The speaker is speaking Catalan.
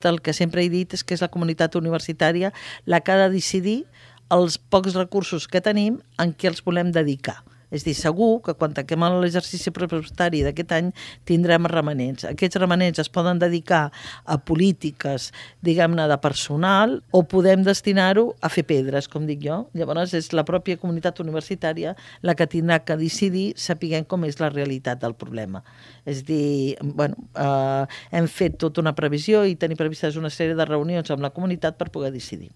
El que sempre he dit és que és la comunitat universitària la que ha de decidir els pocs recursos que tenim en què els volem dedicar. És dir, segur que quan tanquem l'exercici pressupostari d'aquest any tindrem remanents. Aquests remanents es poden dedicar a polítiques, diguem-ne, de personal, o podem destinar-ho a fer pedres, com dic jo. Llavors és la pròpia comunitat universitària la que tindrà que decidir sapiguem com és la realitat del problema. És dir, hem fet tota una previsió i tenim previstes una sèrie de reunions amb la comunitat per poder decidir.